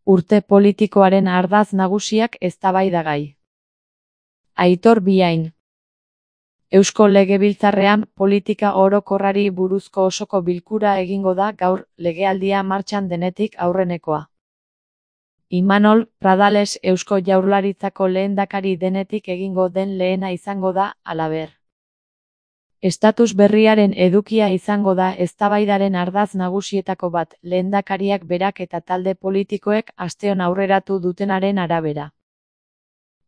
Urte politikoaren ardatz nagusiak eztabaidagai. Aitor Biain. Eusko Legebiltzarrean politika orokorrari buruzko osoko bilkura egingo da gaur, legealdia martxan denetik aurrenekoa. Imanol Pradales Eusko Jaurlaritzako lehendakari denetik egingo den lehena izango da, halaber. Estatus berriaren edukia izango da eztabaidaren ardatz nagusietako bat, lehendakariak berak eta talde politikoek asteon aurreratu dutenaren arabera.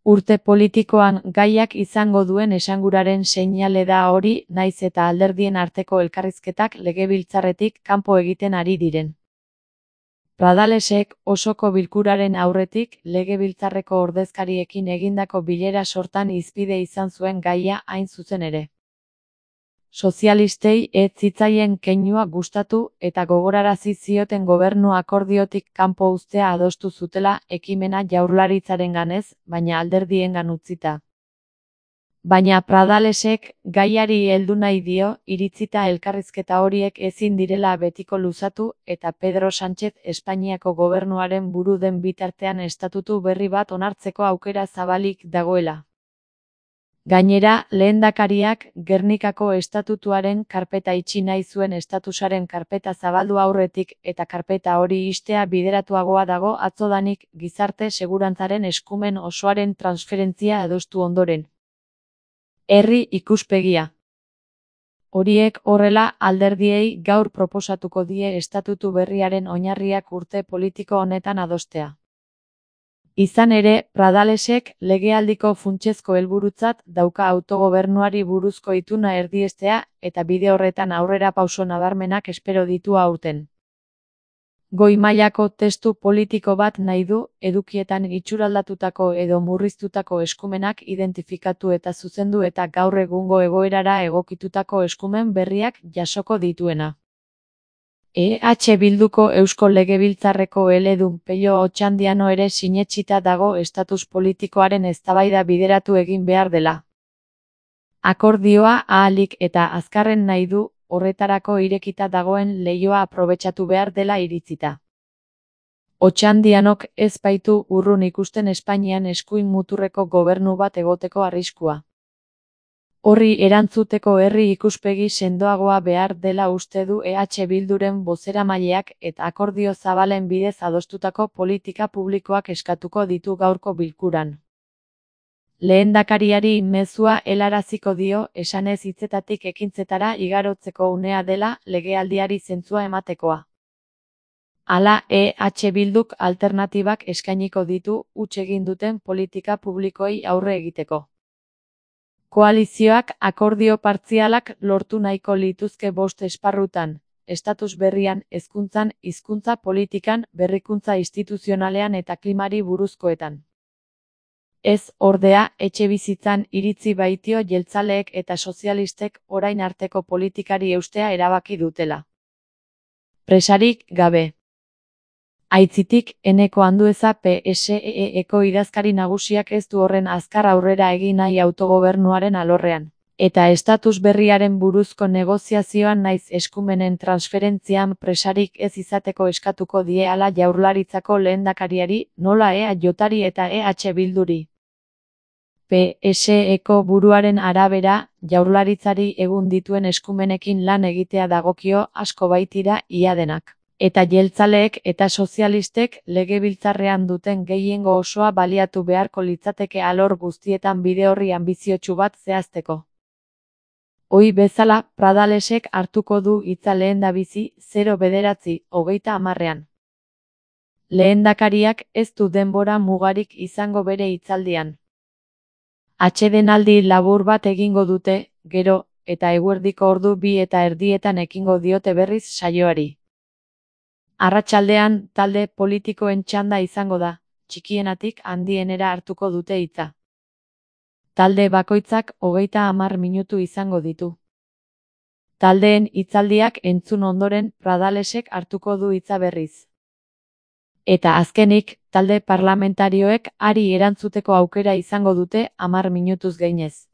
Urte politikoan gaiak izango duen esanguraren seinale da hori, nahiz eta alderdien arteko elkarrizketak legebiltzarretik kanpo egiten ari diren. Pradalesek osoko bilkuraren aurretik legebiltzarreko ordezkariekin egindako bilera sortan hizpide izan zuen gaia hain zuzen ere. Sozialistei ez zitzaien keinua gustatu eta gogorarazi zioten gobernu akordiotik kanpo uztea adostu zutela ekimena Jaurlaritzarenganez, baina alderdiengan utzita. Baina Pradalesek gaiari heldu nahi dio, iritzita elkarrizketa horiek ezin direla betiko luzatu eta Pedro Sánchez Espainiako gobernuaren buru den bitartean estatutu berri bat onartzeko aukera zabalik dagoela. Gainera, lehendakariak Gernikako estatutuaren karpeta itxi nahi zuen estatusaren karpeta zabaldu aurretik eta karpeta hori ixtea bideratuagoa dago atzodanik gizarte segurantzaren eskumen osoaren transferentzia adostu ondoren. Herri ikuspegia. Horiek horrela, alderdiei gaur proposatuko die estatutu berriaren oinarriak urte politiko honetan adostea. Izan ere, Pradalesek legealdiko funtsezko helburutzat dauka autogobernuari buruzko ituna erdiestea eta bide horretan aurrera pauso nabarmenak espero ditu aurten. Goi mailako testu politiko bat nahi du, edukietan itxuraldatutako edo murriztutako eskumenak identifikatu eta zuzendu eta gaur egungo egoerara egokitutako eskumen berriak jasoko dituena. EH Bilduko Eusko Legebiltzarreko eledun Pello Otxandiano ere sinetsita dago estatus politikoaren eztabaida bideratu egin behar dela. Akordioa ahalik eta azkarren nahi du, horretarako irekita dagoen leihoa aprobetxatu behar dela iritzita. Otxandianok ez baitu urrun ikusten Espainian eskuin muturreko gobernu bat egoteko arriskua. Horri erantzuteko herri ikuspegi sendoagoa behar dela uste du EH Bilduren bozeramaileak eta akordio zabalen bidez adostutako politika publikoak eskatuko ditu gaurko bilkuran. Lehendakariari mezua helaraziko dio esanez hitzetatik ekintzetara igarotzeko unea dela legealdiari zentzua ematekoa. Hala, EH Bilduk alternatibak eskainiko ditu huts egin duten politika publikoei aurre egiteko. Koalizioak akordio partzialak lortu nahiko lituzke 5 esparrutan, estatus berrian, hezkuntzan, hizkuntza politikan, berrikuntza instituzionalean eta klimari buruzkoetan. Ez, ordea, etxebizitzan iritzi baitio jeltzaleek eta sozialistek orain arteko politikari eustea erabaki dutela. Presarik gabe. Aitzitik, Eneko Andueza PSEE-eko idazkari nagusiak ez du horren azkar aurrera egin nahi autogobernuaren alorrean, eta estatus berriaren buruzko negoziazioan naiz eskumenen transferentzian presarik ez izateko eskatuko die hala Jaurlaritzako lehendakariari, nola EAJari eta EH Bilduri. PSEeko buruaren arabera, Jaurlaritzari egun dituen eskumenekin lan egitea dagokio asko baitira ia denak. Eta jeltzaleek eta sozialistek legebiltzarrean duten gehiengo osoa baliatu beharko litzateke alor guztietan bide horri anbiziotsu bat zehazteko. Ohi bezala, Pradalesek hartuko du hitza lehendabizi 09:30 Lehendakariak ez du denbora mugarik izango bere hitzaldian. Atsedenaldi labur bat egingo dute, gero, eta eguerdiko ordu 2:30 ekingo diote berriz saioari. Arratsaldean, talde politikoen txanda izango da, txikienatik handienera hartuko dute hitza. Talde bakoitzak 30 minutu izango ditu. Taldeen hitzaldiak entzun ondoren Pradalesek hartuko du hitza berriz. Eta azkenik, talde parlamentarioek hari erantzuteko aukera izango dute 10 minutuz gainez.